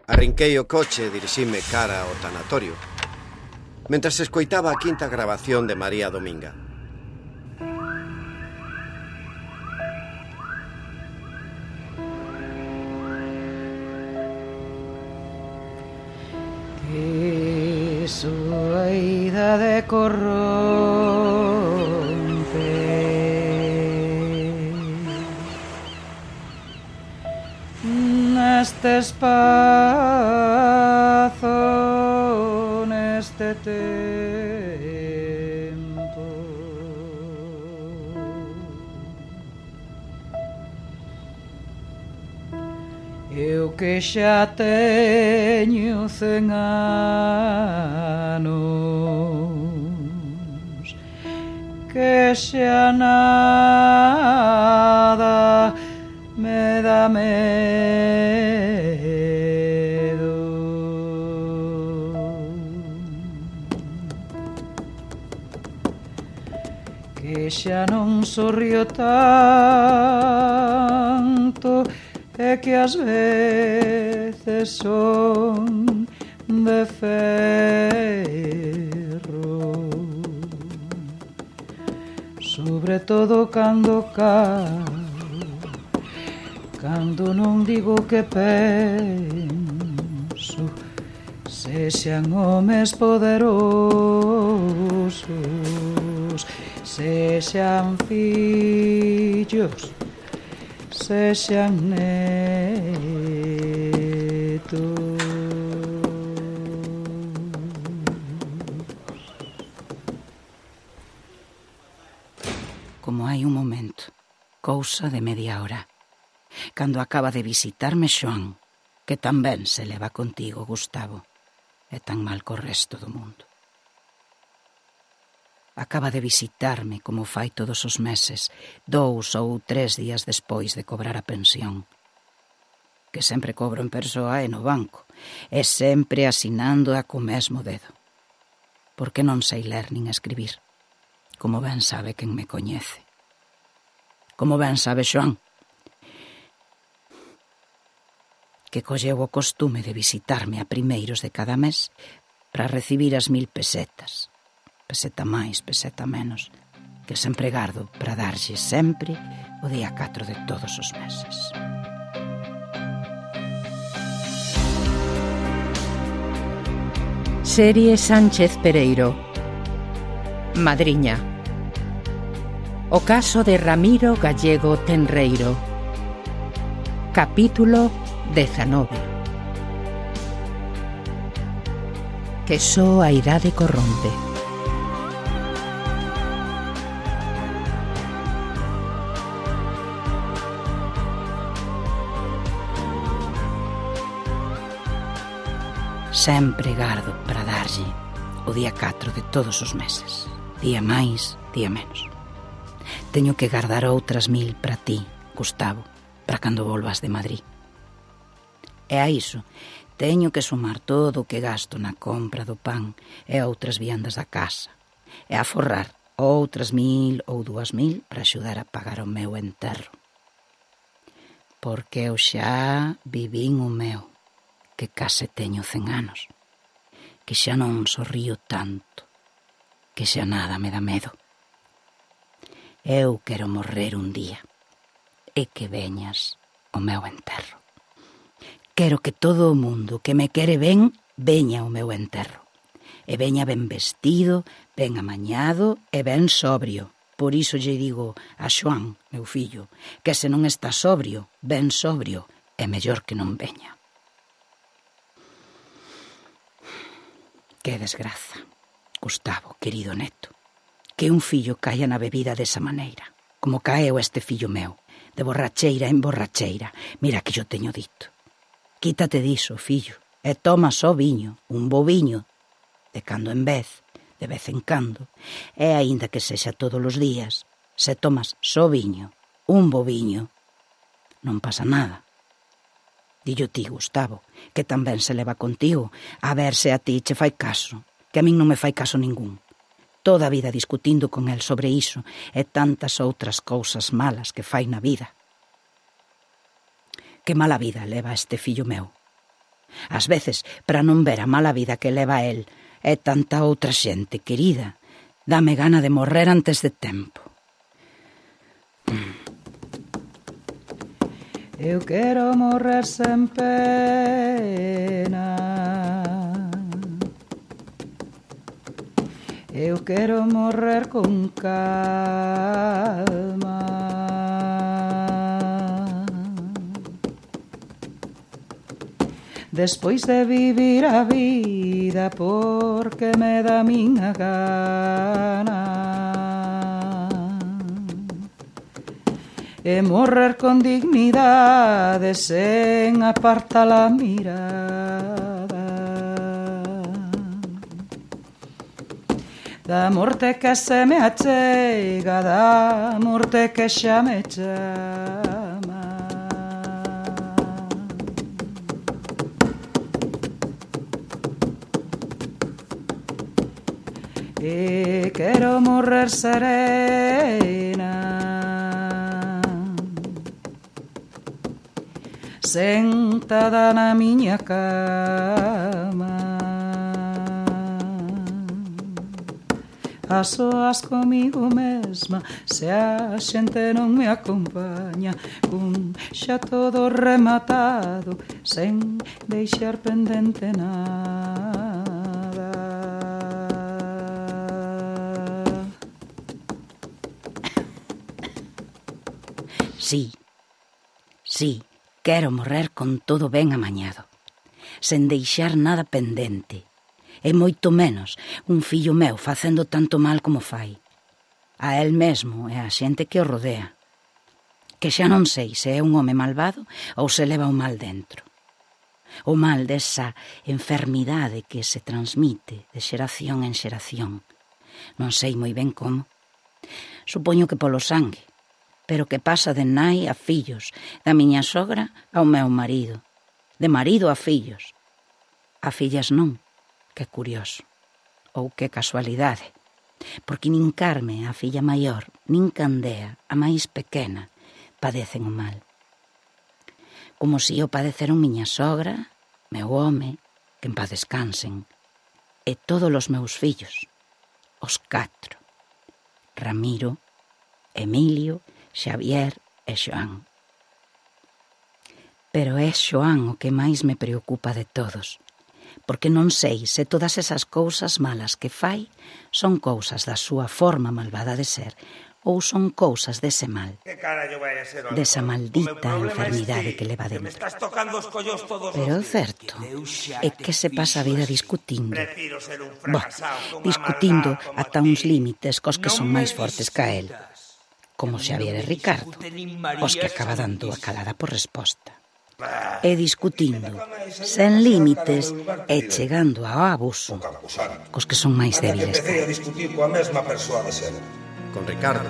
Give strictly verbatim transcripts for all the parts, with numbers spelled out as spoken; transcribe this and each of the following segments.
Arrinquei o coche e dirixime cara ao tanatorio, mentras escoitaba a quinta grabación de María Dominga. Que súa idade corrompe neste espazo, neste tempo. Eu que xa teño cen anos, que xa nada me dá medo. Que xa non sorrio tanto, é que ás veces son de ferro, sobre todo cando calo, cando non digo que penso, sexan homes poderosos, sexan fillos, sexan netos. Como hai un momento, cousa de media hora, cando acaba de visitarme Xoán, que tamén se leva contigo, Gustavo, é tan mal co resto do mundo. Acaba de visitarme como fai todos os meses, dous ou tres días despois de cobrar a pensión, que sempre cobro en persoa e no banco, e sempre asinando a co mesmo dedo, porque non sei ler nin escribir, como ben sabe quen me coñece. Como ben sabe Xoán, que colleu o costume de visitarme a primeiros de cada mes para recibir as mil pesetas, peseta máis, peseta menos, que sempre gardo para darlle sempre o día catro de todos os meses. Serie Sánchez Pereiro. Madriña. O caso de Ramiro Gallego Tenreiro. Capítulo dezanove. Que só a idade corrompe. Sempre gardo para darlle o día catro de todos os meses, día máis, día menos. Teño que gardar outras mil para ti, Gustavo, para cando volvas de Madrid. E a iso teño que sumar todo o que gasto na compra do pan e outras viandas da casa, e a forrar outras mil ou dúas mil para axudar a pagar o meu enterro. Porque eu xa vivín o meu, que case teño cen anos, que xa non sorrío tanto, que xa nada me dá medo. Eu quero morrer un día, e que veñas o meu enterro. Quero que todo o mundo que me quere ben, veña ao meu enterro. E veña ben vestido, ben amañado e ben sobrio. Por iso lle digo a Xoán, meu fillo, que se non está sobrio, ben sobrio, é mellor que non veña. Que desgraza, Gustavo, querido neto, que un fillo caia na bebida desa maneira, como caeu este fillo meu, de borracheira en borracheira. Mira que yo teño dito. Quítate diso, fillo, e toma só viño, un bo viño, de cando en vez, de vez en cando, e aínda que sexa todos os días, se tomas só viño, un bo viño, non pasa nada. Dillo ti, Gustavo, que tamén se leva contigo, a ver se a ti che fai caso, que a min non me fai caso ningún. Toda a vida discutindo con el sobre iso e tantas outras cousas malas que fai na vida. Que mala vida leva este fillo meu. Ás veces, para non ver a mala vida que leva el e tanta outra xente querida, dame gana de morrer antes de tempo. Eu quero morrer sen pena, eu quero morrer con calma, despois de vivir a vida porque me dá miña gana, e morrer con dignidade sen apartar a mirada da morte que se me achega, da morte que xa me chama. E quero morrer serena, sentada na miña cama, a soas comigo mesma, se a xente non me acompaña, cun xa todo rematado, sen deixar pendente nada. Sí, sí, quero morrer con todo ben amañado, sen deixar nada pendente, e moito menos un fillo meu facendo tanto mal como fai, a el mesmo e a xente que o rodea, que xa non sei se é un home malvado ou se leva o mal dentro. O mal desa enfermidade que se transmite de xeración en xeración. Non sei moi ben como. Supoño que polo sangue, pero que pasa de nai a fillos, da miña sogra ao meu marido, de marido a fillos. A fillas non, que curioso, ou que casualidade, porque nin Carme, a filla maior, nin Candea, a máis pequena, padecen o mal. Como si o padeceron miña sogra, meu home, que en paz descansen, e todos os meus fillos, os catro, Ramiro, Emilio, Xavier e Xoán. Pero é Xoán o que máis me preocupa de todos, porque non sei se todas esas cousas malas que fai son cousas da súa forma malvada de ser ou son cousas dese mal, desa maldita enfermidade que leva dentro. Pero o certo é que se pasa a vida discutindo. Bo, discutindo ata uns límites cos que son máis fortes ca el, como Xavier e Ricardo, os que acaba dando a calada por resposta. E discutindo, sen límites e chegando ao abuso, cos que son máis débiles. Empecé a discutir coa mesma persoa de sempre. Con Ricardo.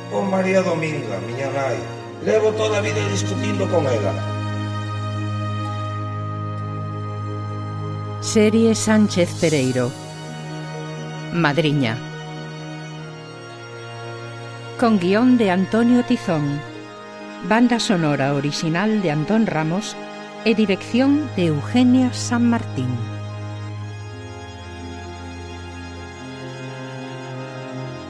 Con María Dominga, miña nai. Levo toda a vida discutindo con ela. Serie Sánchez Pereiro. Madriña. Con guión de Antonio Tizón, banda sonora orixinal de Antón Ramos e dirección de Eugenia San Martín.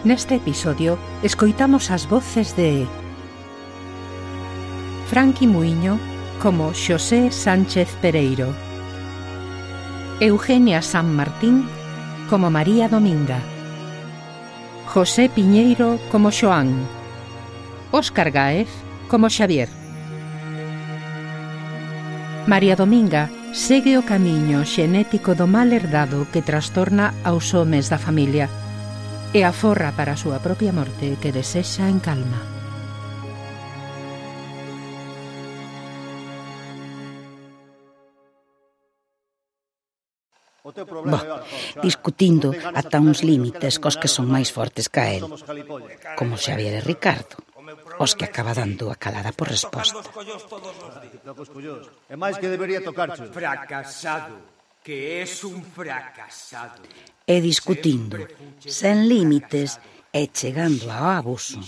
Neste episodio escoitamos as voces de Franqui Muiño como Xosé Sánchez Pereiro, Eugenia San Martín como María Dominga, José Piñeiro como Xoán, Óscar Gáez como Xavier. María Dominga segue o camiño xenético do mal herdado que trastorna aos homes da familia e aforra para a súa propia morte que desexa en calma. Bo, discutindo ata uns límites cos que son máis fortes ca el, como Xavier e Ricardo, os que acaba dando a calada por resposta. É máis que debería tocarche. Fracasado, que es un fracasado. E discutindo, sen límites e chegando ao abuso,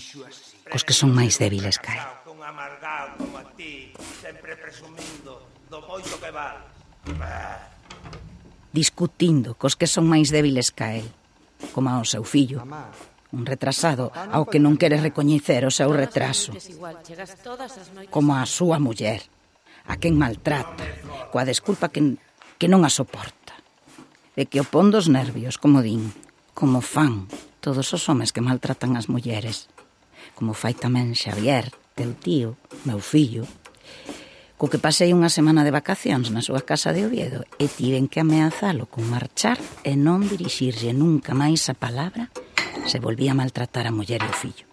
cos que son máis débiles ca el. Un amargado como a ti, sempre presumindo do moito que val. discutindo cos que son máis débiles ca el, como ao seu fillo, un retrasado ao que non quere recoñecer o seu retraso, como a súa muller, a quen maltrata, coa desculpa que, que non a soporta, de que o pon dos nervios, como din, como fan todos os homes que maltratan as mulleres, como fai tamén Xavier, teu tío, meu fillo, co que pasei unha semana de vacacións na súa casa de Oviedo e tiven que ameazalo con marchar e non dirixirlle nunca máis a palabra se volvía a maltratar a muller e o fillo.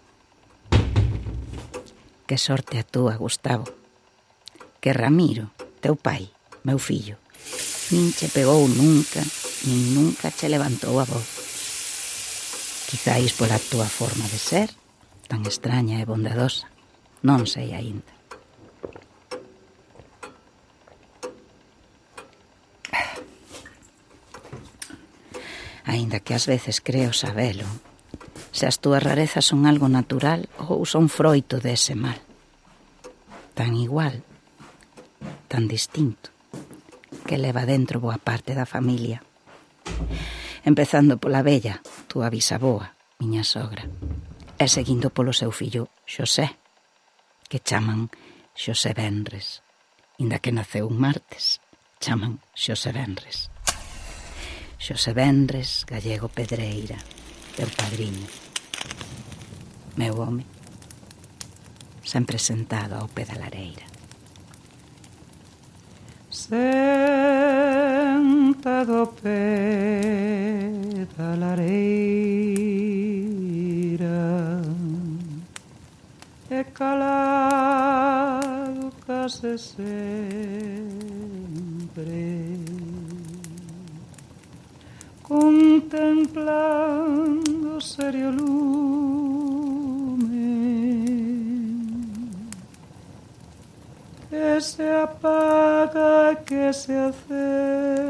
Que sorte a túa, Gustavo, que Ramiro, teu pai, meu fillo, nin che pegou nunca, nin nunca che levantou a voz. Quizáis pola túa forma de ser, tan extraña e bondadosa, non sei aínda. Aínda que ás veces creo sabelo, se as túas rarezas son algo natural ou son froito dese mal. Tan igual, tan distinto, que leva dentro boa parte da familia. Empezando pola vella, túa bisaboa, miña sogra, e seguindo polo seu fillo Xosé, que chaman Xosé Benres, inda que naceu un martes, chaman Xosé Benres. Xosé Benres Gallego Pedreira, teu padriño, meu home, sempre sentado ao pé da lareira. Sentado ao pé da lareira e calado case sempre, contemplando serio lume que se apaga, que se acende.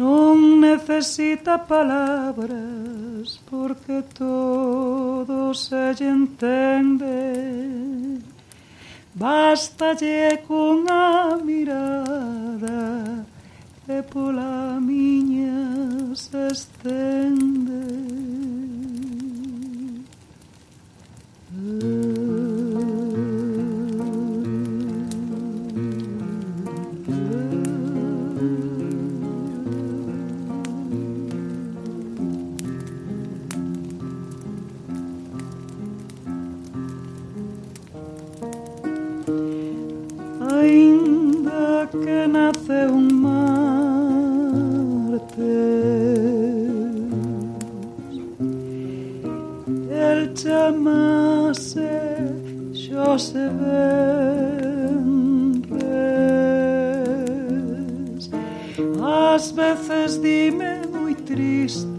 Non necesita palabras porque todo se lle entende. Bastalle cunha mirada que pola miña se estende. Ainda que nace un martes, el chamase Xosé Benres. Ás veces dime moi triste,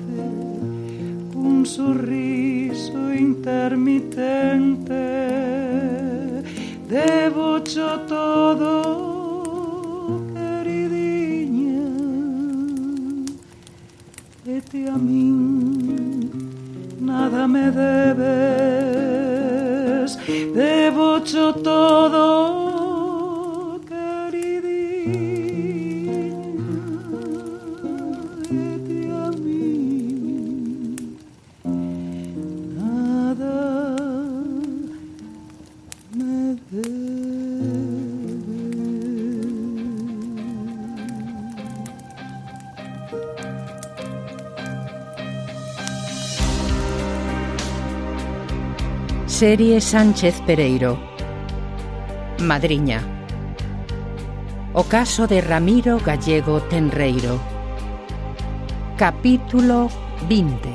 un sorriso intermitente, devocho todo, queridinha, e ti a min nada me debes, devocho todo, queridinha, e ti a min nada me debes. Serie Sánchez Pereiro. Madriña. O caso de Ramiro Gallego Tenreiro. Capítulo vinte.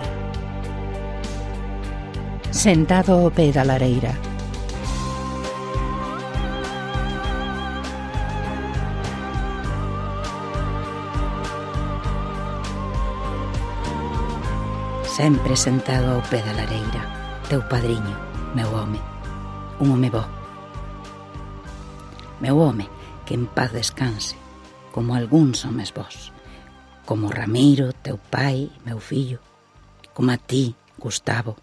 Sentado ao pé da lareira. Sempre sentado ao pé da lareira, teu padriño, meu home, un home bo. Meu home, que en paz descanse, como algúns homes vos, como Ramiro, teu pai, meu fillo, como a ti, Gustavo.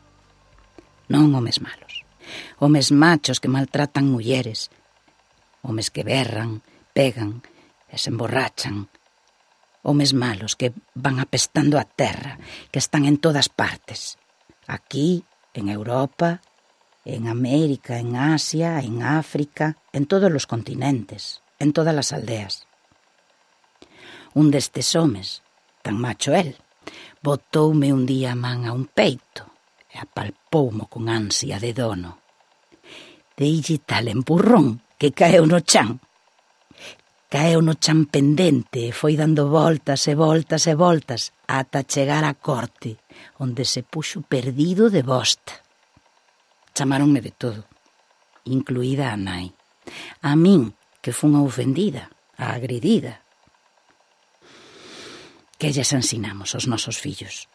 Non homes malos, Homes machos que maltratan mulleres. Homes que berran, pegan e se emborrachan. Homes malos que van apestando a terra, que están en todas partes. Aquí, en Europa, en América, en Asia, en África, en todos os continentes, en todas as aldeas. Un destes homes, tan macho el, botoume un día a man a un peito e apalpoumo con ansia de dono. Deille tal empurrón que caeu no chan. Caeu no chan pendente e foi dando voltas e voltas e voltas ata chegar á corte, onde se puxo perdido de bosta. Chamáronme de todo, incluída a nai. A min, que fun a ofendida, a agredida. Que lles ensinamos aos nosos fillos?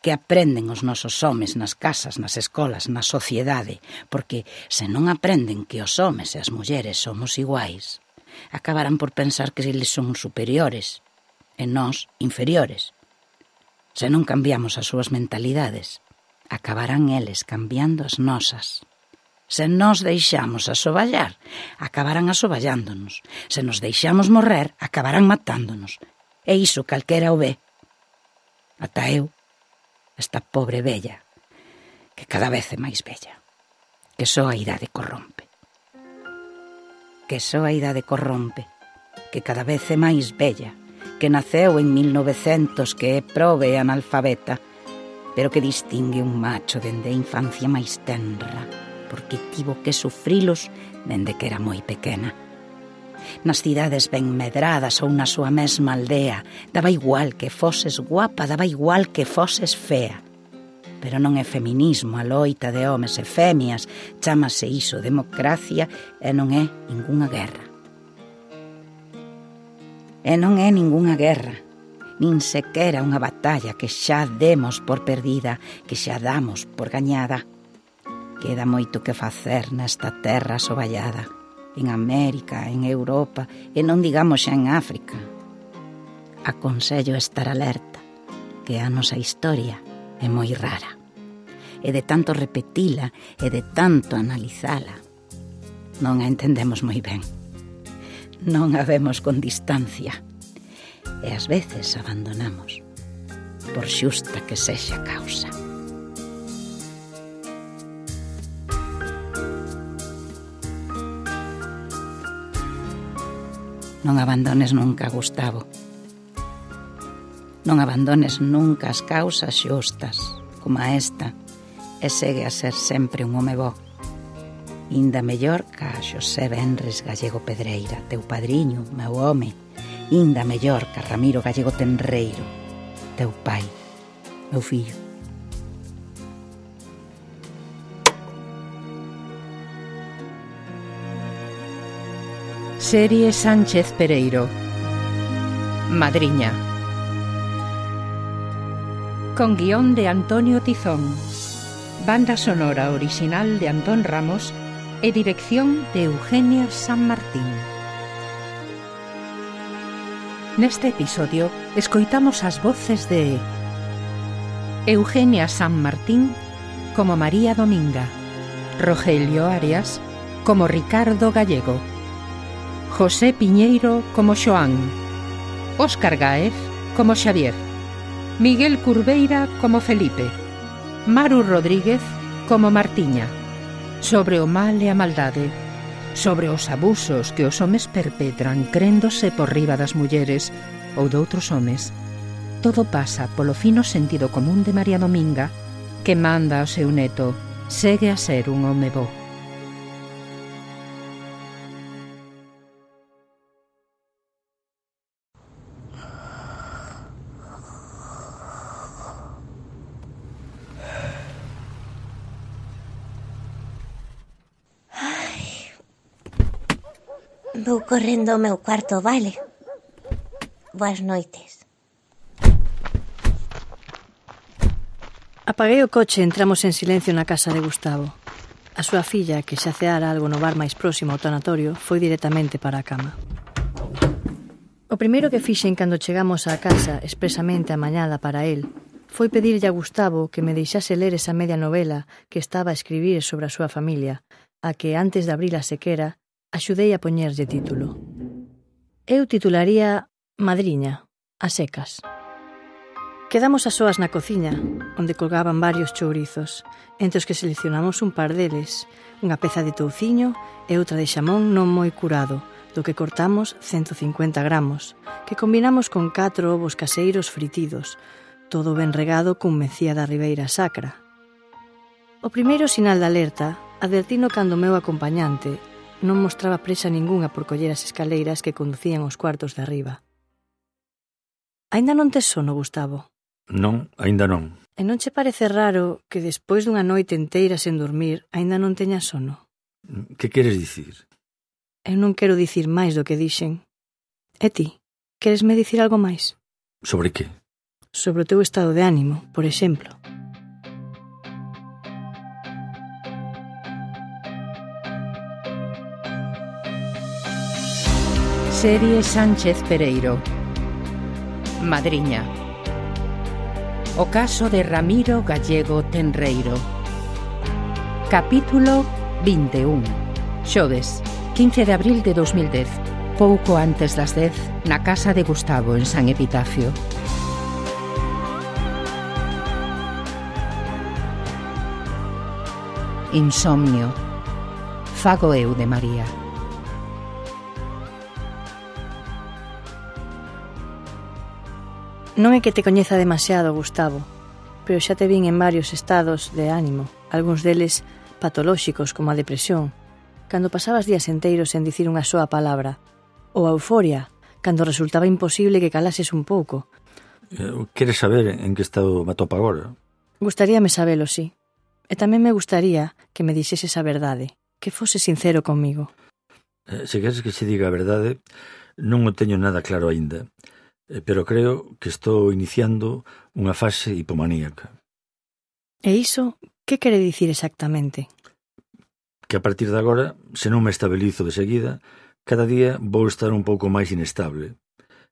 Que aprenden os nosos homes nas casas, nas escolas, na sociedade, porque se non aprenden que os homes e as mulleres somos iguais, acabarán por pensar que eles son superiores e nós inferiores. Se non cambiamos as súas mentalidades, acabarán eles cambiando as nosas. Se nos deixamos asoballar, acabarán asoballándonos. Se nos deixamos morrer, acabarán matándonos. E iso calquera o ve. Ata eu, esta pobre vella, que cada vez é máis bella, que só a idade corrompe. Que só a idade corrompe, que cada vez é máis bella, que naceu en mil novecentos, que é probe e analfabeta, pero que distingue un macho dende a infancia máis tenra, porque tivo que sufrilos dende que era moi pequena. Nas cidades ben medradas ou na súa mesma aldea, daba igual que foses guapa, daba igual que foses fea. Pero non é feminismo a loita de homes e femias, chámase iso democracia e non é ningunha guerra. E non é ningunha guerra, nin sequera unha batalla que xa demos por perdida, que xa damos por gañada. Queda moito que facer nesta terra asoballada, en América, en Europa, e non digamos xa en África. Aconsello estar alerta, que a nosa historia é moi rara, e de tanto repetila e de tanto analizala, non a entendemos moi ben. Non a vemos con distancia, e ás veces abandonamos, por xusta que sexa causa. Non abandones nunca, Gustavo. Non abandones nunca as causas xustas, como a esta, e segue a ser sempre un home bo. Inda mellor ca Xosé Benres Gallego Pedreira, teu padriño, meu home. Inda mellor ca Ramiro Gallego Tenreiro, teu pai, meu fillo. Serie Sánchez Pereiro. Madriña. Con guión de Antonio Tizón. Banda sonora original de Antón Ramos e dirección de Eugenia San Martín. Neste episodio escoitamos as voces de Eugenia San Martín como María Dominga, Rogelio Arias como Ricardo Gallego, José Piñeiro como Xoán, Óscar Gáez como Xavier, Miguel Curveira como Felipe, Maru Rodríguez como Martiña. Sobre o mal e a maldade, sobre os abusos que os homes perpetran créndose por riba das mulleres ou doutros homes. Todo pasa polo fino sentido común de María Dominga, que manda ao seu neto: segue a ser un home bo. Vou correndo ao meu cuarto, vale? Boas noites. Apaguei o coche e entramos en silencio na casa de Gustavo. A súa filla, que xa ceara algo no bar máis próximo ao tanatorio, foi directamente para a cama. O primeiro que fixen cando chegamos á casa, expresamente amañada para el, foi pedirlle a Gustavo que me deixase ler esa media novela que estaba a escribir sobre a súa familia, a que antes de abrir a sequera, axudei a poñerlle título. Eu titularía Madriña, a secas. Quedamos a soas na cociña, onde colgaban varios chourizos, entre os que seleccionamos un par deles, unha peza de touciño e outra de xamón non moi curado, do que cortamos ciento cincuenta gramos, que combinamos con catro ovos caseiros fritidos, todo ben regado cun mecía da Ribeira Sacra. O primeiro sinal de alerta advertino cando o meu acompañante non mostraba presa ningunha por coller as escaleiras que conducían aos cuartos de arriba. Aínda non tes sono, Gustavo? Non, aínda non. E non che parece raro que despois dunha noite enteira sen dormir aínda non teñas sono? Que queres dicir? Eu non quero dicir máis do que dixen. E ti, queresme dicir algo máis? Sobre que? Sobre o teu estado de ánimo, por exemplo. Serie Sánchez Pereiro. Madriña. O caso de Ramiro Gallego Tenreiro. Capítulo vinte e un. Xoves, quince de abril de dos mil dez. Pouco antes das dez, na casa de Gustavo en San Epitafio. Insomnio. Fago eu de María. Non é que te coñeza demasiado, Gustavo, pero xa te vin en varios estados de ánimo, algúns deles patolóxicos como a depresión, cando pasabas días enteiros sen dicir unha soa palabra, ou a euforia, cando resultaba imposible que calases un pouco. Queres saber en que estado me atopa agora? Gustaríame sabelo, sí. E tamén me gustaría que me dixeses a verdade, que fose sincero comigo. Eh, se queres que se diga a verdade, non o teño nada claro aínda, pero creo que estou iniciando unha fase hipomaníaca. E iso, que quere dicir exactamente? Que a partir de agora, se non me estabilizo de seguida, cada día vou estar un pouco máis inestable.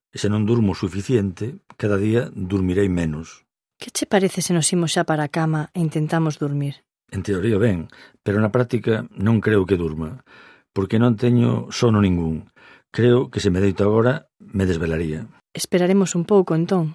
E se non durmo suficiente, cada día dormirei menos. Que che parece se nos imos xa para a cama e intentamos dormir? En teoría ben, pero na práctica non creo que durma, porque non teño sono ningún. Creo que se me deito agora, me desvelaría. Esperaremos un pouco, entón.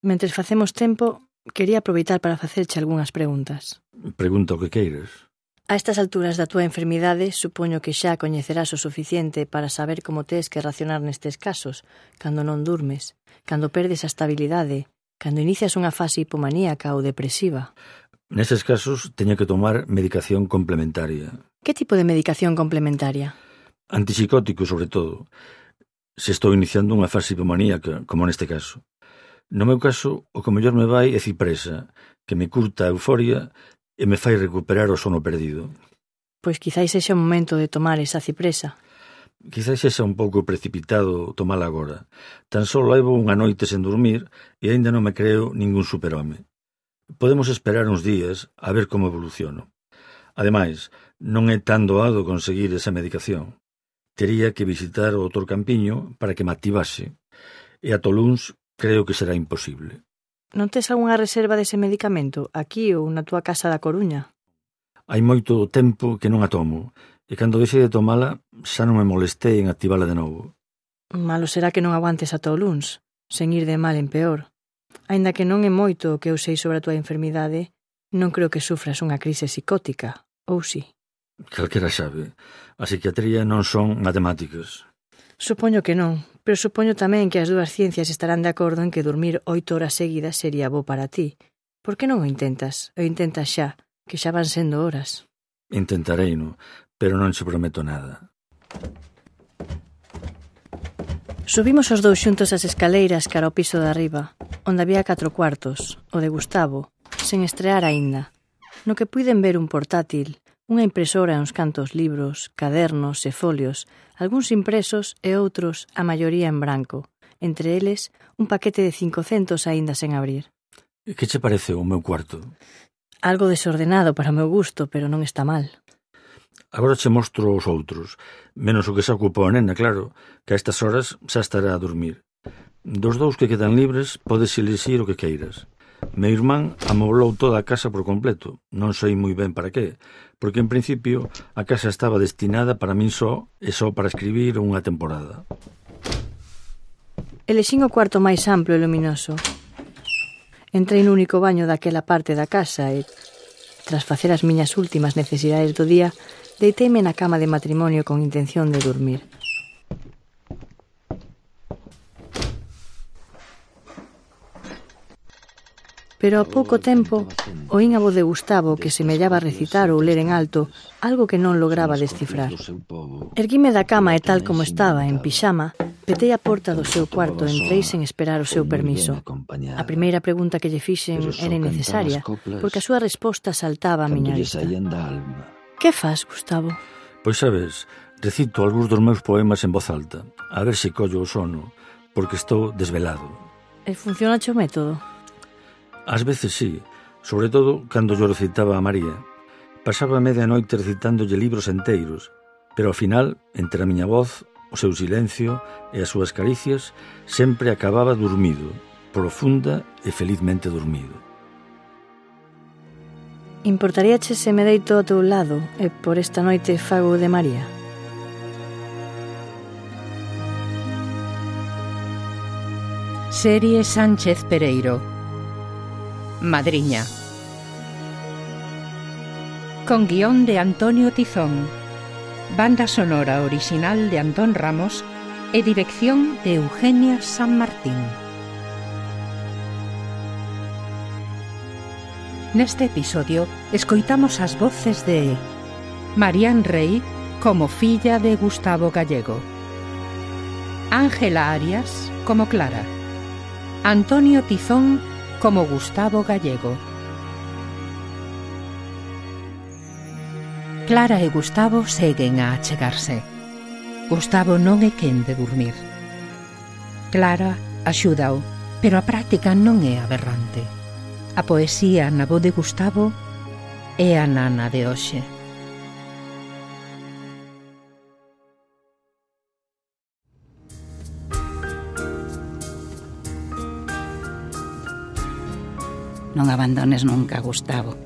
Mentres facemos tempo, quería aproveitar para facerche algunhas preguntas. Pregunta o que queiras. A estas alturas da túa enfermidade, supoño que xa coñecerás o suficiente para saber como tes que racionar nestes casos, cando non durmes, cando perdes a estabilidade, cando inicias unha fase hipomaníaca ou depresiva. Neses casos, teño que tomar medicación complementaria. Que tipo de medicación complementaria? Antipsicótico, sobre todo. Se estou iniciando unha fase hipomaníaca, como neste caso. No meu caso, o que mellor me vai é cipresa, que me curta a euforia e me fai recuperar o sono perdido. Pois quizáis sexa o momento de tomar esa cipresa. Quizáis sexa un pouco precipitado tomala agora. Tan só levo unha noite sen dormir e aínda non me creo ningún superhome. Podemos esperar uns días a ver como evoluciono. Ademais, non é tan doado conseguir esa medicación. Tería que visitar o doutor Campiño para que me activase. E a Toluns creo que será imposible. Non tes algunha reserva dese medicamento aquí ou na túa casa da Coruña? Hai moito tempo que non a tomo, e cando deixei de tomala xa non me molestei en activala de novo. Malo será que non aguantes a Toluns, sen ir de mal en peor. Aínda que non é moito o que eu sei sobre a túa enfermidade, non creo que sufras unha crise psicótica, ou si? Calquera sabe. A psiquiatría non son matemáticas. Supoño que non, pero supoño tamén que as dúas ciencias estarán de acordo en que dormir oito horas seguidas sería bo para ti. Por que non o intentas? O intentas xa, que xa van sendo horas. Intentareino, pero non se prometo nada. Subimos os dous xuntos as escaleiras cara ao piso de arriba, onde había catro cuartos, o de Gustavo, sen estrear aínda, no que puiden ver un portátil, unha impresora e uns cantos libros, cadernos e folios, algúns impresos e outros, a maioría en branco, entre eles un paquete de cincocentos aínda sen abrir. Que che parece o meu cuarto? Algo desordenado para o meu gusto, pero non está mal. Agora che mostro os outros, menos o que se ocupa a nena, claro, que a estas horas xa estará a dormir. Dos dous que quedan libres, podes elixir o que queiras. Meu irmán amoblou toda a casa por completo. Non sei moi ben para qué, porque en principio a casa estaba destinada para min só e só para escribir unha temporada. Elexín o cuarto máis amplo e luminoso. Entrei no único baño daquela parte da casa e, tras facer as miñas últimas necesidades do día, deiteime na cama de matrimonio con intención de dormir. Pero a pouco tempo oín a voz de Gustavo que semellaba recitar ou ler en alto algo que non lograba descifrar. Erguime da cama e tal como estaba, en pixama, petei a porta do seu cuarto e entrei sen esperar o seu permiso. A primeira pregunta que lle fixen era innecesaria, porque a súa resposta saltaba a miña vista. Que fas, Gustavo? Pois sabes, recito algúns dos meus poemas en voz alta, a ver se collo o sono, porque estou desvelado. E funciona o método? Ás veces sí, sobre todo cando yo recitaba a María. Pasaba media noite recitándolle libros enteiros, pero ao final, entre a miña voz, o seu silencio e as súas caricias, sempre acababa dormido, profunda e felizmente dormido. Importaríache se me deito ao teu lado e por esta noite fago de María? Serie Sánchez Pereiro. Madriña. Con guión de Antonio Tizón, banda sonora original de Antón Ramos e dirección de Eugenia San Martín. Neste episodio escoitamos as voces de Marián Rey como filla de Gustavo Gallego, Ángela Arias como Clara, Antonio Tizón como Gustavo Gallego. Clara e Gustavo seguen a achegarse. Gustavo non é quen de dormir. Clara axúdao, pero a práctica non é aberrante. A poesía na voz de Gustavo é a nana de hoxe. Non abandones nunca, Gustavo.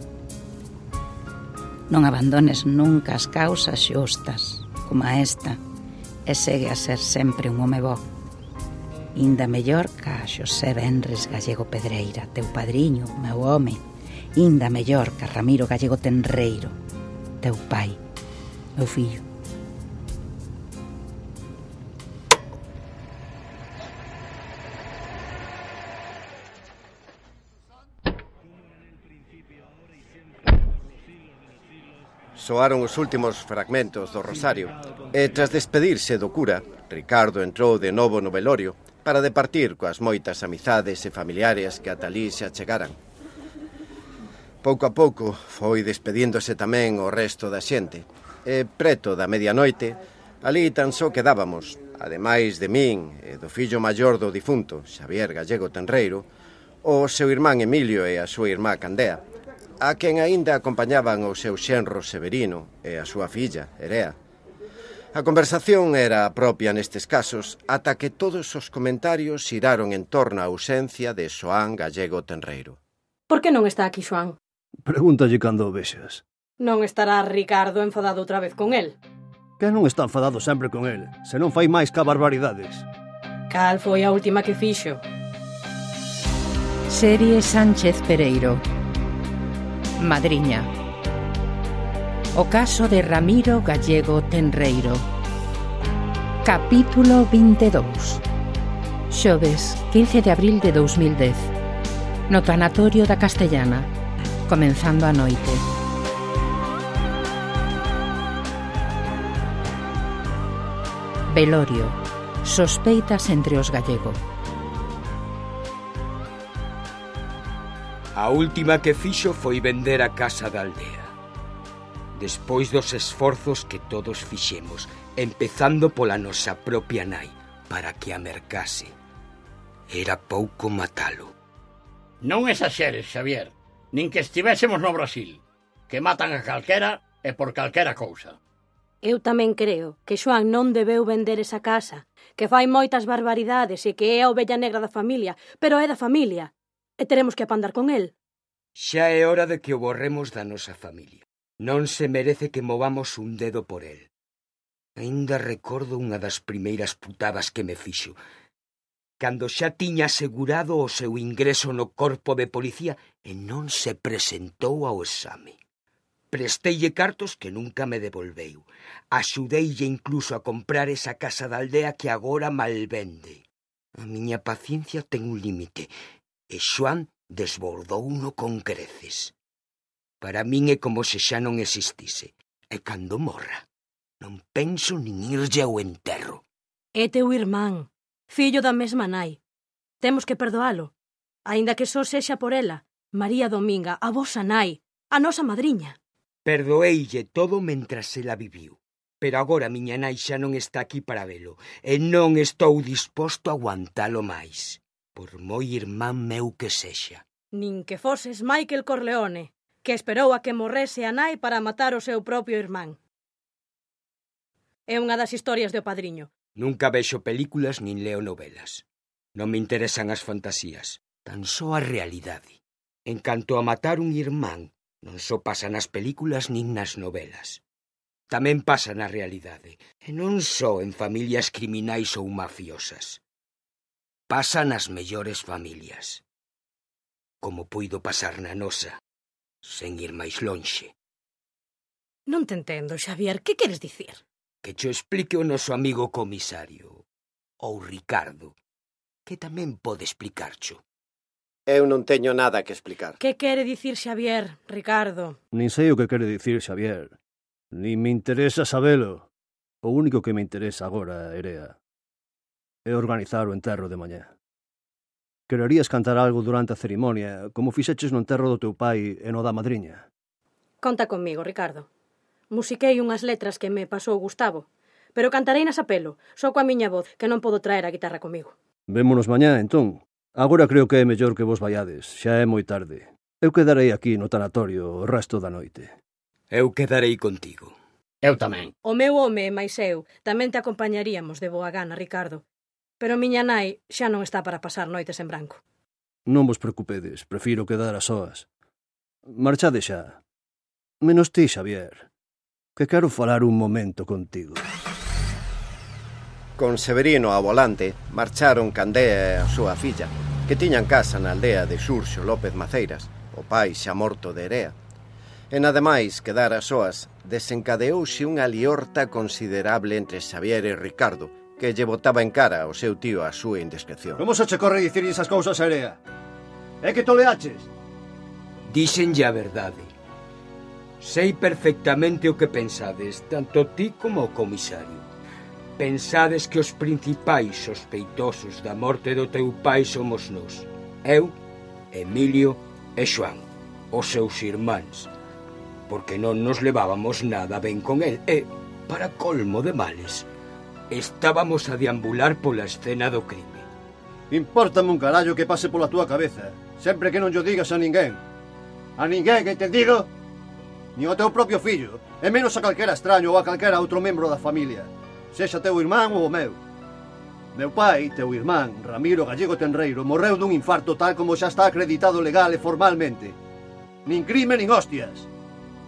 Non abandones nunca as causas xustas, como a esta, e segue a ser sempre un home bo. Inda mellor ca Xosé Benres Gallego Pedreira, teu padriño, meu home. Inda mellor ca Ramiro Gallego Tenreiro, teu pai, meu fillo. Soaron os últimos fragmentos do rosario e, tras despedirse do cura, Ricardo entrou de novo no velorio para departir coas moitas amizades e familiares que ata alí se achegaran. Pouco a pouco foi despedíndose tamén o resto da xente e, preto da medianoite, alí tan só quedábamos, ademais de min e do fillo maior do difunto, Xavier Gallego Tenreiro, o seu irmán Emilio e a súa irmá Candea, a quen aínda acompañaban o seu xenro Severino e a súa filla, Erea. A conversación era a propia nestes casos, ata que todos os comentarios xiraron en torno á ausencia de Xoán Gallego Tenreiro. Por que non está aquí Xoán? Pregúntalle cando o vexas. Non estará Ricardo enfadado outra vez con el? Que non está enfadado sempre con el, se non fai máis ca barbaridades. Cal foi a última que fixo? Serie Sánchez Pereiro. Madriña. O caso de Ramiro Gallego Tenreiro. Capítulo vinte e dous. Xoves, quince de abril de dous mil dez. No tanatorio da Castellana, comenzando a noite. Velorio. Sospeitas entre os Gallego. A última que fixo foi vender a casa da aldea. Despois dos esforzos que todos fixemos, empezando pola nosa propia nai, para que a mercase. Era pouco matalo. Non exaxeres, Xavier, nin que estivésemos no Brasil, que matan a calquera e por calquera cousa. Eu tamén creo que Xoán non debeu vender esa casa, que fai moitas barbaridades e que é a ovella negra da familia, pero é da familia. e teremos que apandar con el. Xa é hora de que o borremos da nosa familia. Non se merece que movamos un dedo por el. Ainda recordo unha das primeiras putadas que me fixo, cando xa tiña asegurado o seu ingreso no corpo de policía e non se presentou ao exame. Presteille cartos que nunca me devolveu. Axudeille incluso a comprar esa casa da aldea que agora malvende. A miña paciencia ten un límite, e Xoán desbordouno con creces. Para min é como se xa non existise, e cando morra, non penso nin irlle ao enterro. É teu irmán, fillo da mesma nai. Temos que perdoalo, aínda que só sexa por ela, María Dominga, a vosa nai, a nosa madriña. Perdoeille todo mentras ela viviu, pero agora miña nai xa non está aquí para velo, e non estou disposto a aguantalo máis, por moi irmán meu que sexa. Nin que foses Michael Corleone, que esperou a que morrese a nai para matar o seu propio irmán. É unha das historias do Padriño. Nunca vexo películas nin leo novelas. Non me interesan as fantasías, tan só a realidade. En canto a matar un irmán, non só pasa nas películas nin nas novelas. Tamén pasa na realidade, e non só en familias criminais ou mafiosas. Pasa nas mellores familias. Como puido pasar na nosa, sen ir máis lonxe. Non te entendo, Xavier, que queres dicir? Que cho explique o noso amigo comisario, ou Ricardo, que tamén pode explicarcho. Eu non teño nada que explicar. Que quere dicir Xavier, Ricardo? Nin sei o que quere dicir Xavier. Nin me interesa sabelo. O único que me interesa agora, Erea, é organizar o enterro de mañá. Quererías cantar algo durante a cerimonia, como fixeches no enterro do teu pai e no da madriña? Conta conmigo, Ricardo. Musiquei unhas letras que me pasou Gustavo, pero cantarei nas a pelo, só coa miña voz, que non podo traer a guitarra comigo. Vémonos mañá, entón. Agora creo que é mellor que vos vaiades, xa é moi tarde. Eu quedarei aquí no tanatorio o resto da noite. Eu quedarei contigo. Eu tamén. O meu home e máis eu tamén te acompañaríamos de boa gana, Ricardo. Pero miña nai xa non está para pasar noites en branco. Non vos preocupedes, prefiro quedar a soas. Marchade xa. Menos ti, Xavier, que quero falar un momento contigo. Con Severino ao volante, marcharon Candea e a súa filla, que tiñan casa na aldea de Xurxo López Maceiras, o pai xa morto de Erea. En ademais, quedar a soas, desencadeouse unha liorta considerable entre Xavier e Ricardo, que lle botaba en cara ao seu tío a súa indiscreción. Como se che corre dicir esas cousas a Erea? É que toleaches? Díxenlle a verdade. Sei perfectamente o que pensades, tanto ti como o comisario. Pensades que os principais sospeitosos da morte do teu pai somos nós. Eu, Emilio e Xoán, os seus irmáns, porque non nos levábamos nada ben con el e, para colmo de males, estábamos a deambular pola escena do crime. Impórtame un carallo que pase pola túa cabeza, sempre que non yo digas a ninguén. A ninguén, que entendido? Ni ao teu propio fillo, e menos a calquera extraño ou a calquera outro membro da familia, sexa teu irmán ou o meu. Meu pai, teu irmán, Ramiro Gallego Tenreiro, morreu dun infarto tal como xa está acreditado legal e formalmente. Nin crime nin hostias.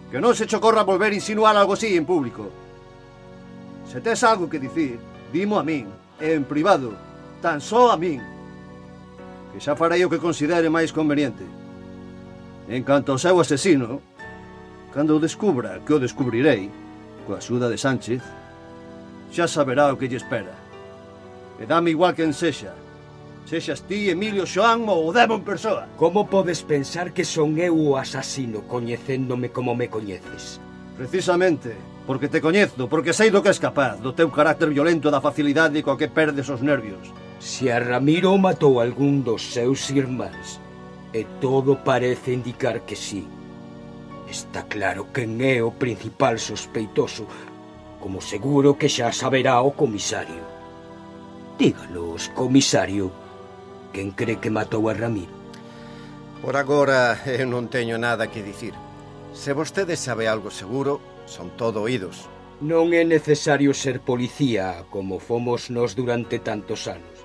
Que non se che ocorra volver a insinuar algo así en público. Se tes algo que dicir, dimo a min, e en privado, tan só a min, que xa farei o que considere máis conveniente. En canto ao seu asesino, cando o descubra, que o descubrirei, coa axuda de Sánchez, xa saberá o que lle espera. E dame igual quen sexa, sexas ti, Emilio, Xoán ou o demo en persoa. Como podes pensar que son eu o asasino, coñecéndome como me coñeces? Precisamente, porque te coñezo, porque sei do que és capaz, do teu carácter violento, da facilidade coa que perdes os nervios. Se a Ramiro matou algún dos seus irmáns, e todo parece indicar que sí, está claro quen é o principal sospeitoso, como seguro que xa saberá o comisario. Díganos, comisario, quen cree que matou a Ramiro? Por agora, eu non teño nada que dicir. Se vostede sabe algo seguro, son todo oídos. Non é necesario ser policía como fomos nós durante tantos anos.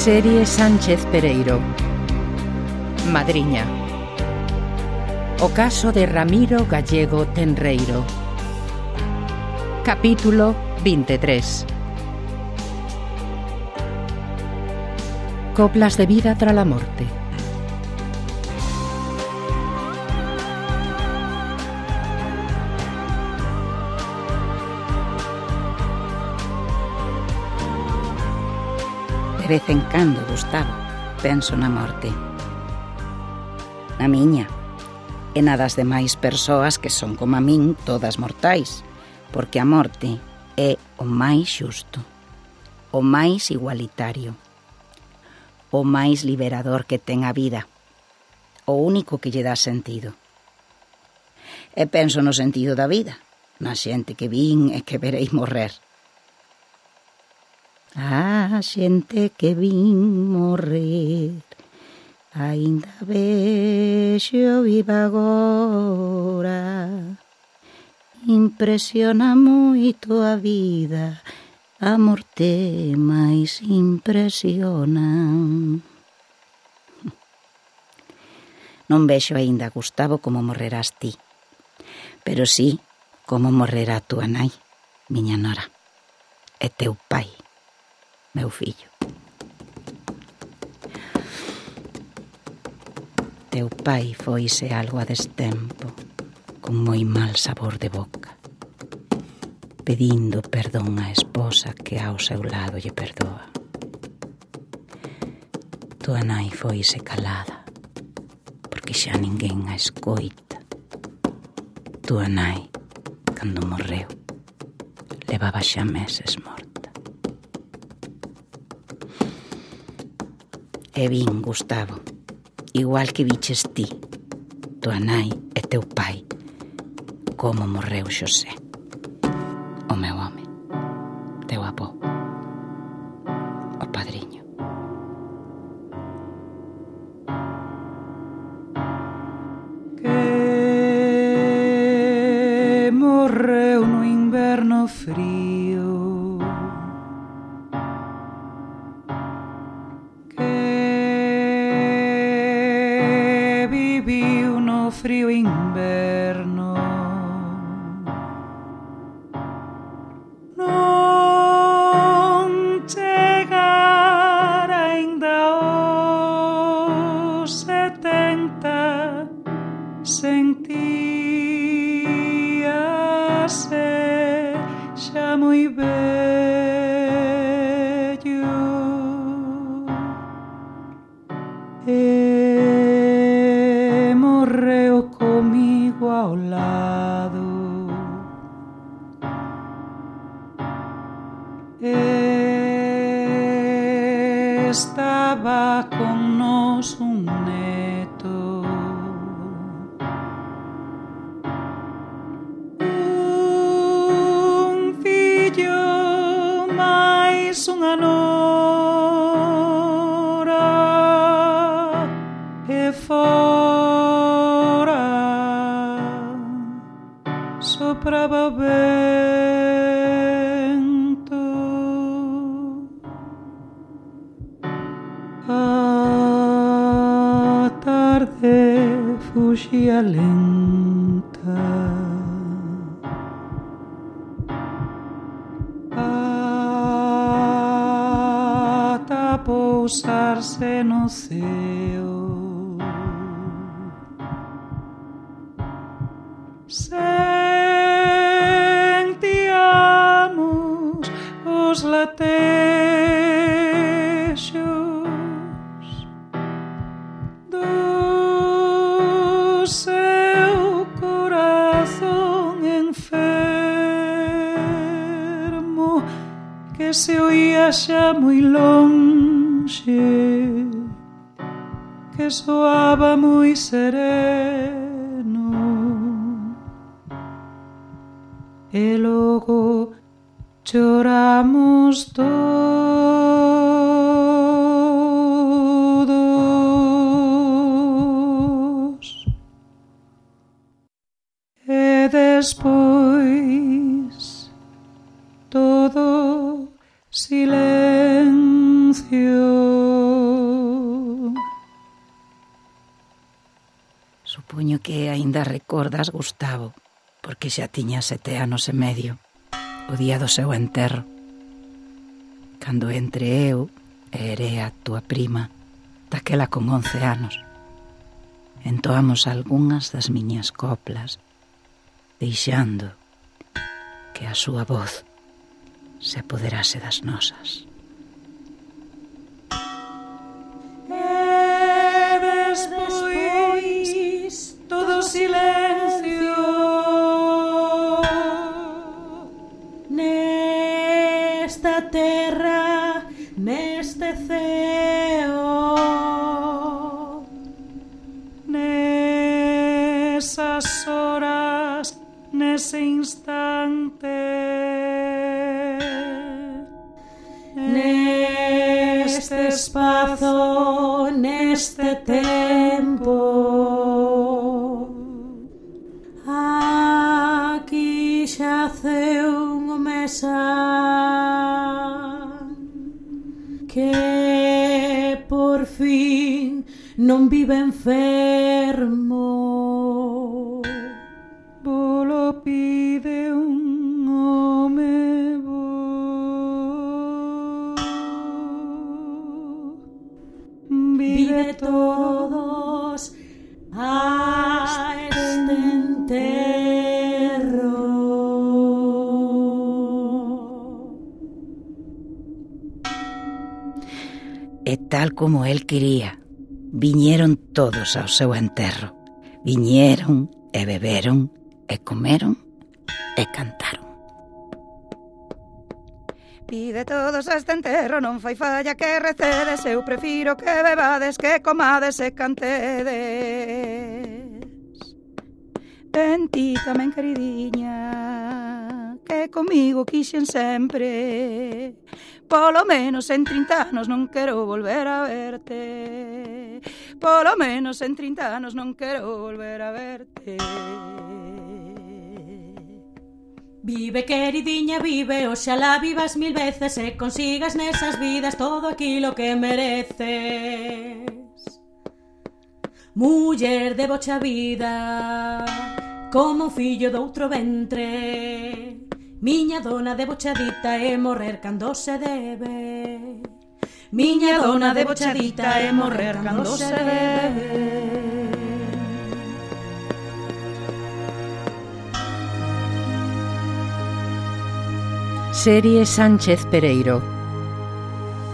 Serie Sánchez Pereiro. Madriña. O caso de Ramiro Gallego Tenreiro. Capítulo veintitrés. Coplas de vida tras la morte. De vez en cando, Gustavo, penso na morte. Na miña, e na das demais persoas que son como a min, todas mortais, porque a morte é o máis xusto, o máis igualitario, o máis liberador que ten a vida, o único que lle dá sentido. E penso no sentido da vida, na xente que vin e que verei morrer. A xente que vin morrer, aínda vexo viva agora. Impresiona moito a vida, a morte máis impresiona. Non vexo aínda, Gustavo, como morrerás ti, pero sí como morrerá túa nai, miña nora, e teu pai, meu fillo. Teu pai foise algo a destempo, con moi mal sabor de boca, pedindo perdón á esposa que ao seu lado lle perdoa. Tua nai foise calada, porque xa ninguén a escoita. Tua nai, cando morreu, levaba xa meses morta. E vin, Gustavo, igual que viches ti, tua nai e teu pai, como morreu Xosé, o meu home, teu avó, o padriño. Que morreu no inverno frío, frío inverno, non chegara aínda os setenta, sentíase xa moi vello. E comigo ao lado, estaba con nos un neto, un fillo máis unha nora, e fora sopraba o vento. A tarde fuxía lenta, ata pousarse no ceo. Sentíamos os latexos do seu corazón enfermo, que se oía xa moi lonxe, que soaba moi sereno. E logo choramos todos. E despois todo silencio. Supoño que aínda recordas, Gustavo, porque xa tiña sete anos e medio, o día do seu enterro, cando entre eu e Erea, tua prima, daquela con once anos, entoamos algunhas das miñas coplas, deixando que a súa voz se apoderase das nosas. E despois todo silencio nesta terra, neste ceo, nesas horas, nese instante, neste espazo, neste tempo, aquí xace un mesán que por fin non vive enfermo. Volo pide un home bo, vive todos a este enterro. E tal como el quería, viñeron todos ao seu enterro. Viñeron e beberon e comeron e cantaron. Pide todos a este enterro, non fai falla que recedes. Eu prefiro que bebades, que comades e cantedes. Ven ti tamén, queridiña, que comigo quixen sempre. Polo menos en trinta anos non quero volver a verte. Polo menos en trinta anos non quero volver a verte. Vive, queridiña, vive, oxalá vivas mil veces e consigas nesas vidas todo aquilo que mereces. Muller de bocha vida, como un fillo doutro ventre. Miña dona debochadita é morrer cando se debe. Miña dona debochadita é morrer cando se debe. Serie Sánchez Pereiro.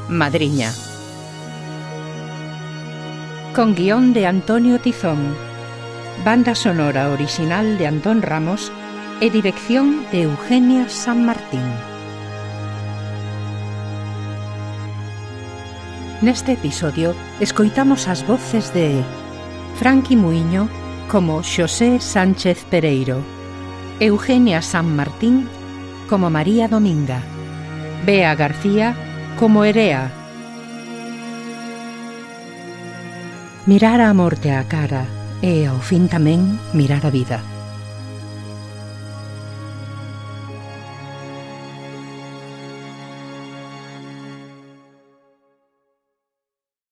Madriña. Con guión de Antonio Tizón. Banda sonora original de Antón Ramos e dirección de Eugenia San Martín. Neste episodio escoitamos as voces de Franqui Muiño como Xosé Sánchez Pereiro, Eugenia San Martín como María Dominga, Bea García como Erea. Mirar a morte á cara e, ao fin tamén, mirar a vida.